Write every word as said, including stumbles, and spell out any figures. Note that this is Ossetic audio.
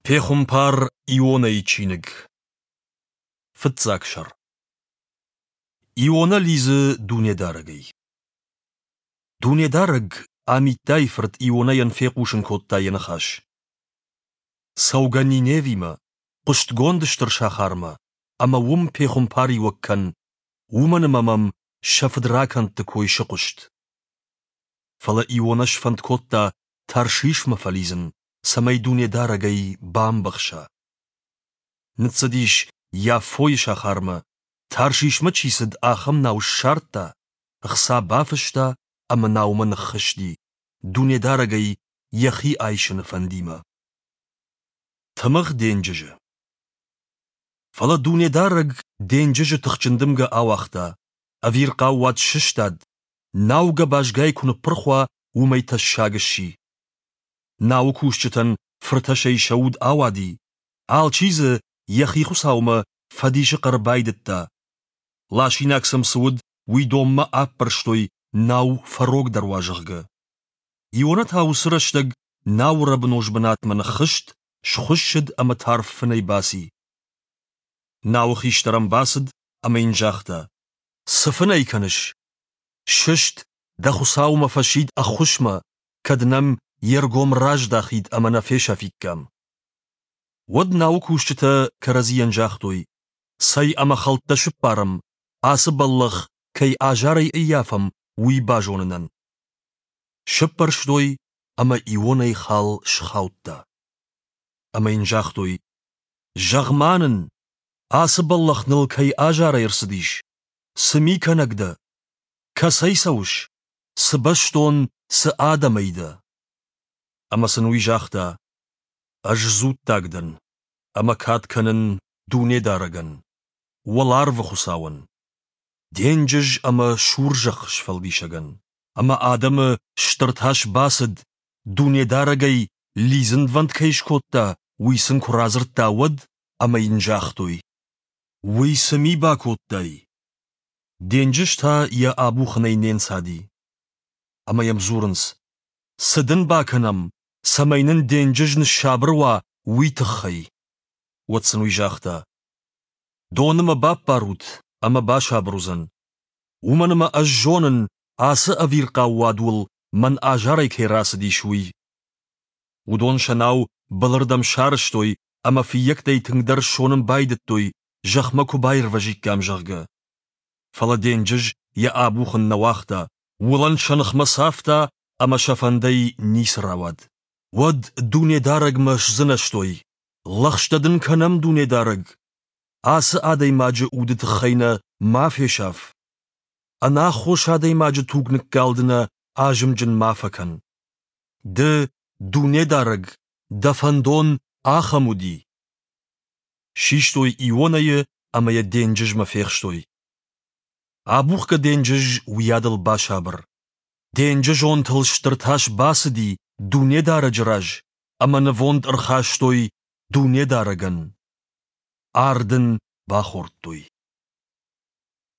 Пехуымпар Ионӕйы чиныг. Фыццаг сӕр. Ионӕ лидзы Дунедарӕгӕй. Дунедарӕг Амиттайы фырт Ионӕйӕн фехъусын кодта йӕ ныхас. Цӕугӕ Ниневимӕ, хъуыстгонд стыр сахармӕ, ӕмӕ уым пехуымпариуӕг кӕн, уымӕн ӕмӕ мӕм сӕ фыдракӕндты кой сыхъуыст. Фӕлӕ Ионӕ сфӕнд кодта Таршишмӕ фӕлидзын, цӕмӕй Дунедарӕгӕй бамбӕхса. Ныццыдис Яффойы сахармӕ, Таршишмӕ чи цыд, ахӕм нау ссардта, ӕхца бафыста ӕмӕ наумӕ ныххызти, Дунедарӕгӕй йӕхи айсыны фӕндимӕ. Тымыгъ денджызы. Фӕлӕ Дунедарӕг денджызы тыхджын дымгӕ ауагъта, ӕвирхъау уад сыстад, нау гӕбазгай куы ныппырх уа, уымӕй тӕссаг сси. Науы кусджытӕн фыртӕсӕй сӕ уд ауади, алчи дзы йӕхи хуыцаумӕ фӕдисы хъӕр байдыдта. Ласинаг сӕм цы уыд, уый донмӕ аппӕрстой, нау фӕрогдӕр уа, зӕгъгӕ. Иона та уыцы рӕстӕг науы рӕбыноз бынатмӕ ныххызт, схуыссыд ӕмӕ тарф фынӕй баци. Науы хистӕр ӕм бацыд ӕмӕ йын загъта: «Цы фынӕй кӕныс? Сыст, дӕ Хуыцаумӕ фӕсид ӕххуысмӕ, кӕд нӕм йе ргом раздахид ӕмӕ нӕ фесӕфиккам». Уӕд науы кусджытӕ кӕрӕдзийӕн загътой: «Цӕй ӕмӕ хӕлттӕ сыппарӕм, ацы бӕллӕх кӕй азарӕй ӕййафӕм, уый базонынӕн». Сыппӕрстой, ӕмӕ Ионӕйы хал схаудта. Ӕмӕ йын загътой: «Зӕгъ-ма нын, ацы бӕллӕх ныл кӕй азарӕй ӕрцыдис? Цы ми кӕнӕг дӕ? Кӕцӕй цӕуыс? Цы бӕстон, цы адӕмӕй дӕ?» Ӕмӕ сын уый загъта: «Ӕз дзуттаг дӕн, ӕмӕ кад кӕнын Дунедарӕгӕн, уӕларвы Хуыцауӕн, денджыз ӕмӕ сур зӕхх сфӕлдисӕгӕн. Ӕмӕ адӕмы стыр тас бацыд, Дунедарӕгӕй лидзынвӕнд кӕй скодта, уый сын куы радзырдта, уӕд, ӕмӕ йын загътой: «Уый цы ми бакодтай?» Денджыз та йӕ абухынӕй не нцади. Ӕмӕ йӕм дзурынц: «Цы дын бакӕнӕм, цӕмӕй нын денджыз ныссабыр уа, уый тыххӕй?» Уӕд сын уый загъта: «Доны мӕ баппарут, ӕмӕ басабыр уыдзӕн. Уымӕн ӕмӕ ӕз зонын, ацы ӕвирхъау уад уыл мӕн азарӕй кӕй рацыдис, уый». Уыдон сӕ нау былырдӕм сарӕзтой ӕмӕ фыййӕгтӕй тынгдӕр ссонын байдыдтой, зӕхмӕ куы баирвӕзиккам, зӕгъгӕ. Фӕлӕ денджыз йӕ абухын нӕ уагъта, уылӕн сӕ ныхмӕ цавта ӕмӕ сӕ фӕндӕй ницы рауад. Уӕд Дунедарӕгмӕ сдзынӕзтой: «Лӕгъстӕ дын кӕнӕм, Дунедарӕг! Ацы адӕймаджы уды тыххӕй нӕ ма фесаф! Ӕнаххос адӕймаджы туг ныккалды нӕ азымджын ма фӕкӕн. Ды, Дунедарӕг, дӕ фӕндон ахӕм уыди!» Систой Ионӕйы ӕмӕ йӕ денджызмӕ фехстой. Абухгӕ денджыз уыйадыл басабыр. Денджызонтыл стыр тас бацыди Дунедарӕджы раз, ӕмӕ нывонд ӕрхастой Дунедарӕгӕн. Ард ын бахордтой.